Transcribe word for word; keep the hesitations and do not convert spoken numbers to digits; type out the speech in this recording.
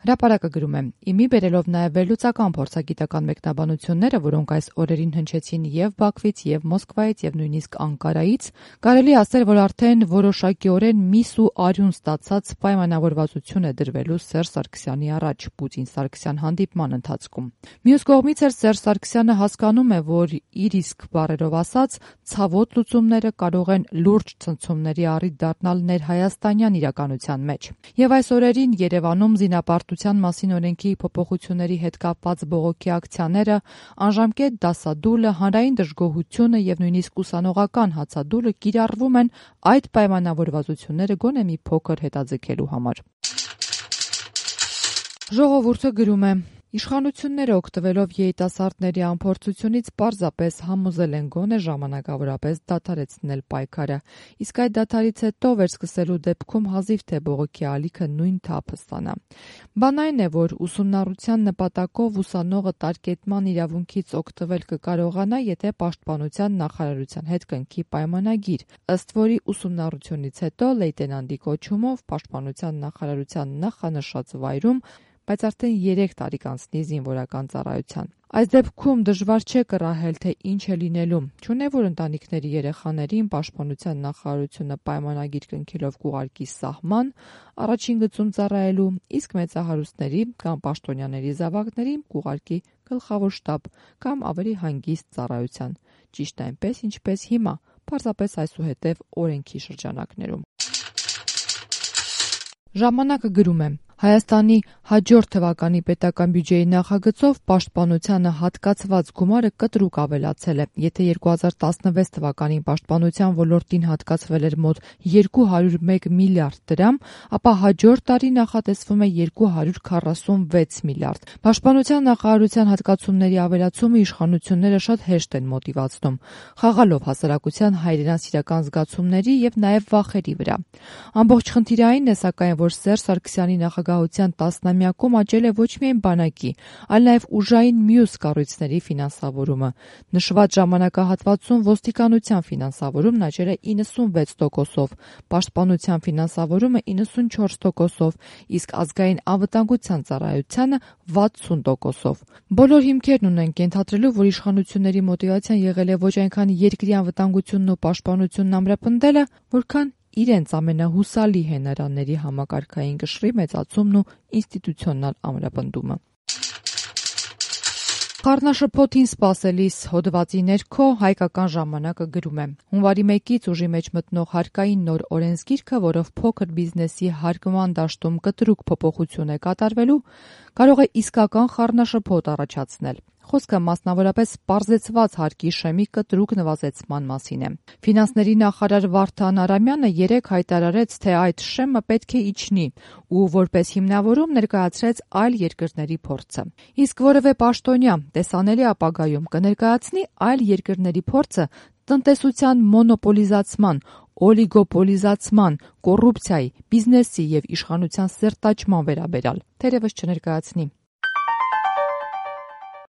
Հրապարակը գրում է. «Իմի բերելով նաև վերլուծական փորձագիտական մեկնաբանությունները, որոնք այս օրերին հնչեցին եւ Բաքվից, եւ Մոսկվայից, եւ նույնիսկ Անկարայից, կարելի ասել, որ արդեն որոշակիորեն միս ու արյուն ստացած պայմանավորվածություն է դրվելու Սերժ Սարգսյանի առաջ Պուտին-Սարգսյան հանդիպման ընթացքում։ Մյուս կողմից էլ Սերժ Սարգսյանը հասկանում է, որ իր իսկ բառերով ասած, ցավոտ լուծումները կարող են լուրջ ցնցումների առիթ դառնալ ներհայաստանյան իրականության մեջ։ Եվ այս օրերին Երևանում զինապարտության մասին օրենքի փոփոխությունների հետ կապված բողոքի ակցիաները, անժամկետ դասադուլը, հանրային դժգոհությունը եւ նույնիսկ ուսանողական հացադուլը կիրառվում են այդ պայմանավորվածությունները գոնե մի փոքր հետաձգելու համար»։ Ժողովուրդը գրում է. «Իշխանությունները օգտվելով երիտասարդների անփորձությունից պարզապես համոզել են գոնե ժամանակավորապես դադարեցնել պայքարը, իսկ այդ դադարից հետո վերսկսելու դեպքում հազիվ թե բողոքի ալիքը նույն թափը ստանա։ Բան այն է, որ ուսումնառության նպատակով ուսանողը տարկետման իրավունքից օգտվել կկարողանա, եթե Պաշտպանության նախարարության հետ կնքի պայմանագիր, ըստ որի ուսումնառությունից հետո լեյտենանտի կոչումով Պաշտպանության նախարարության նախանշած վայրում, բայց արդեն երեք տարի կանցնի զինվորական ծառայության։ Այս դեպքում դժվար չէ կռահել, թե ինչ է լինելու, չունե որ ընտանիքների երեխաներին Պաշտպանության նախարարությունը պայմանագիր կնքելով կուղարկի սահման, առաջին գծում ծառայելու, իսկ մեծահարուստների կամ պաշտոնյաների զավակներին կուղարկի գլխավոր շտաբ կամ ավելի հանգիստ ծառայության, ճիշտ այնպես, ինչպես հիմա, պարզապես այսուհետև օրենքի շրջանակներում»։ Ժամանակը գրում է. «Հայաստանի հաջորդ թվականի պետական բյուջեի նախագծով պաշտպանությանը հատկացված գումարը կտրուկ ավելացել է։ Եթե երկու հազար տասնվեց թվականին պաշտպանության ոլորտին հատկացվել էր մոտ երկու հարյուր մեկ միլիարդ դրամ, ապա հաջորդ տարի նախատեսվում է երկու հարյուր քառասունվեց միլիարդ։ Պաշտպանության նախարարության հատկացումների ավելացումը իշխանությունները շատ հեշտ են մոտիվացնում, խաղալով հասարակության հայրենասիրական զգացումների եւ նաեւ վախերի վրա։ Ամբողջ խնդիրը այն է, սակայն, որ Սերժ Սարգսյանի նախագահության տասնամյակում աճել է ոչ միայն բանակի, այլ նաև ուժային մյուս կառույցների ֆինանսավորումը։ Նշված ժամանակահատվածում ոստիկանության ֆինանսավորումն աճել է իննսունվեց տոկոսով, պաշտպանության ֆինանսավորումը իննսունչորս տոկոսով, իսկ ազգային անվտանգության ծառայությանը վաթսուն տոկոսով։ Բոլոր հիմքերն ունենք ենթադրելու, որ իշխանությունների մոտիվացիան եղել է ոչ այնքան երկրի անվտանգությունն ու պաշտպանությունն ամրապնդելը, որքան իրենց ամենահուսալի հենարանների համակարգային կշռի մեծացումն ու ինստիտուցիոնալ ամրապնդումը։ Խառնաշփոթին սպասելիս հոդվածի ներքո Հայկական ժամանակը գրում է. «Հունվարի մեկից ուժի մեջ մտնող հարկային նոր օրենսգիրքը, որով փոքր բիզնեսի հարկման դաշտում կտրուկ փոփոխություն է կատարվելու, կարող է իսկական խառնաշփոթ առաջացնել։ Խոսքը մասնավորապես պարզեցված հարկի շեմի կտրուկ նվազեցման մասին է։ Ֆինանսների նախարար Վարդան Արամյանը երեկ հայտարարեց, թե այդ շեմը պետք է իջնի ու որպես հիմնավորում ներկայացրեց այլ երկրների փորձը։ Իսկ որևէ պաշտոնյա տեսանելի ապագայում կներկայացնի այլ երկրների փորձը տնտեսության մոնոպոլիզացման, օլիգոպոլիզացման, կոռուպցիայի, բիզնեսի եւ իշխանության սերտաճման վերաբերյալ, թերևս չներկայացնի։